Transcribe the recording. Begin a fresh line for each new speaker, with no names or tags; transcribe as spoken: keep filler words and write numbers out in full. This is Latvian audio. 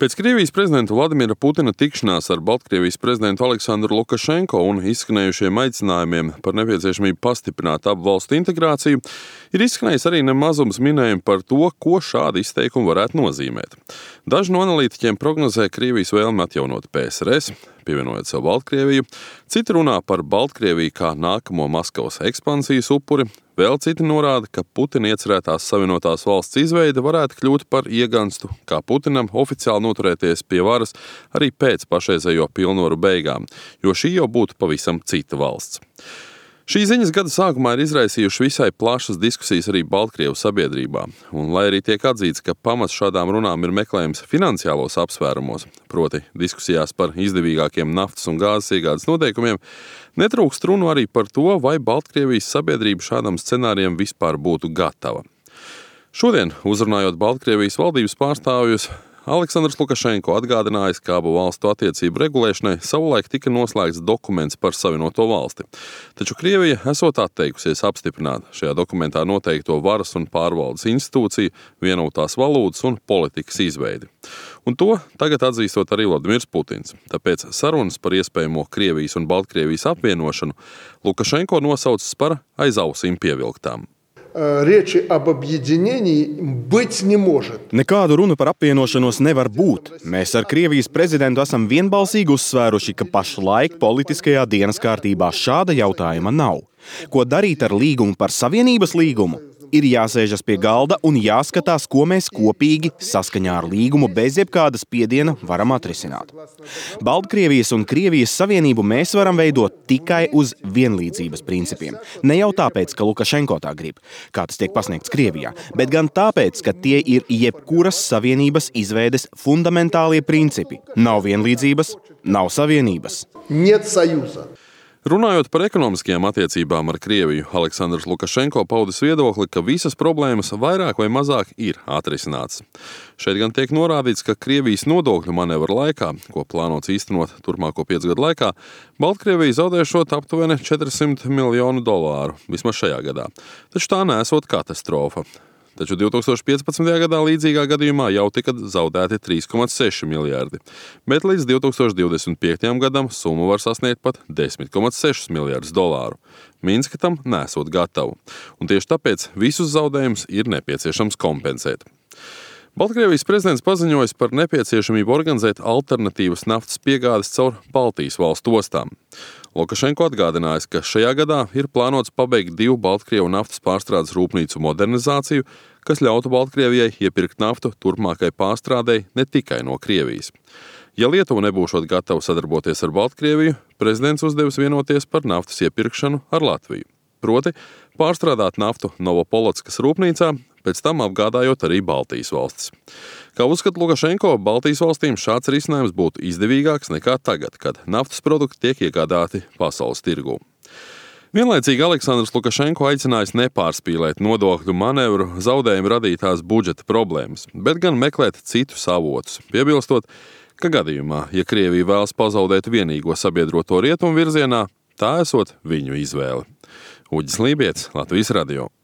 Pēc Krievijas prezidenta Vladimira Putina tikšanās ar Baltkrievijas prezidentu Aleksandru Lukašenko un izskanējušiem aicinājumiem par nepieciešamību pastiprināt abu valstu integrāciju, ir izskanējis arī nemazums minējumi par to, ko šādi izteikumi varētu nozīmēt. Daži no analītiķiem prognozē Krievijas vēlmi atjaunot P S R S, pievienojot sev Baltkrieviju, citi runā par Baltkrieviju kā nākamo Maskavas ekspansijas upuri, vēl citi norāda, ka Putina iecerētās savienotās valsts izveide varētu kļūt par ieganstu, kā Putinam oficiāli noturēties pie varas arī pēc pašreizējo pilnvaru beigām, jo šī jau būtu pavisam cita valsts. Šī ziņas gada sākumā ir izraisījuši visai plašas diskusijas arī Baltkrievu sabiedrībā, un lai arī tiek atzīts, ka pamats šādām runām ir meklējums finansiālos apsvērumos, proti diskusijās par izdevīgākiem naftas un gāzes iegādes noteikumiem, netrūkst runu arī par to, vai Baltkrievijas sabiedrība šādam scenārijam vispār būtu gatava. Šodien, uzrunājot Baltkrievijas valdības pārstāvjus, Aleksandrs Lukašenko atgādinājis, ka abu valstu attiecību regulēšanai savulaik tika noslēgts dokuments par savienoto valsti. Taču Krievija esot atteikusies apstiprināt šajā dokumentā noteikto varas un pārvaldes institūciju, vienotās valūtas un politikas izveidi. Un to tagad atzīstot arī Vladimirs Putins. Tāpēc sarunas par iespējamo Krievijas un Baltkrievijas apvienošanu Lukašenko nosaucis par aiz ausīm pievilktām.
Речи об объединении быть не может.
Nekādu runu par apvienošanos nevar būt. Mēs ar Krievijas prezidentu esam vienbalsīgi uzsvēruši, ka pašlaik politiskajā dienas kārtībā šāda jautājuma nav. Ko darīt ar līgumu par savienības līgumu? Ir jāsēžas pie galda un jāskatās, ko mēs kopīgi saskaņā ar līgumu bez jebkāda spiediena varam atrisināt. Baltkrievijas un Krievijas savienību mēs varam veidot tikai uz vienlīdzības principiem. Ne jau tāpēc, ka Lukašenko tā grib, kā tas tiek pasniegts Krievijā, bet gan tāpēc, ka tie ir jebkuras savienības izveides fundamentālie principi. Nav vienlīdzības, nav savienības.
Нет союза.
Runājot par ekonomiskajām attiecībām ar Krieviju, Aleksandrs Lukašenko paudis viedokli, ka visas problēmas vairāk vai mazāk ir atrisinātas. Šeit gan tiek norādīts, ka Krievijas nodokļu manevra laikā, ko plānots īstenot turpmāko piecu gadu laikā, Baltkrievija zaudēšot aptuveni četri simti miljonu dolāru, vismaz šajā gadā. Taču tā nesot katastrofa. Taču divi tūkstoši piecpadsmitajā gadā līdzīgā gadījumā jau tika zaudēti trīs komats seši miljardi, bet līdz divi tūkstoši divdesmit piektajam gadam summa var sasniegt pat desmit komats seši miljardus dolāru. Minska tam nesot gatavu, un tieši tāpēc visus zaudējumus ir nepieciešams kompensēt. Baltkrievijas prezidents paziņojis par nepieciešamību organizēt alternatīvas naftas piegādes caur Baltijas valstu ostām. Lukašenko atgādinājis, ka šajā gadā ir plānots pabeigt divu Baltkrievu naftas pārstrādes rūpnīcu modernizāciju, kas ļautu Baltkrievijai iepirkt naftu turpmākai pārstrādei ne tikai no Krievijas. Ja Lietuva nebūšot gatava sadarboties ar Baltkrieviju, prezidents uzdevis vienoties par naftas iepirkšanu ar Latviju. Proti, pārstrādāt naftu Novopolotskas rūpnīcā, pēc tam apgādājot arī Baltijas valstis. Kā uzskata Lukašenko, Baltijas valstīm šāds risinājums būtu izdevīgāks nekā tagad, kad naftas produkti tiek iegādāti pasaules tirgū. Vienlaicīgi Aleksandrs Lukašenko aicinājis nepārspīlēt nodokļu manevru zaudējumu radītās budžeta problēmas, bet gan meklēt citus avotus, piebilstot, ka gadījumā, ja Krievija vēlas pazaudēt vienīgo sabiedroto rietumu virzienā, tā esot viņu izvēle. Uģis Lībietis, Latvijas radio.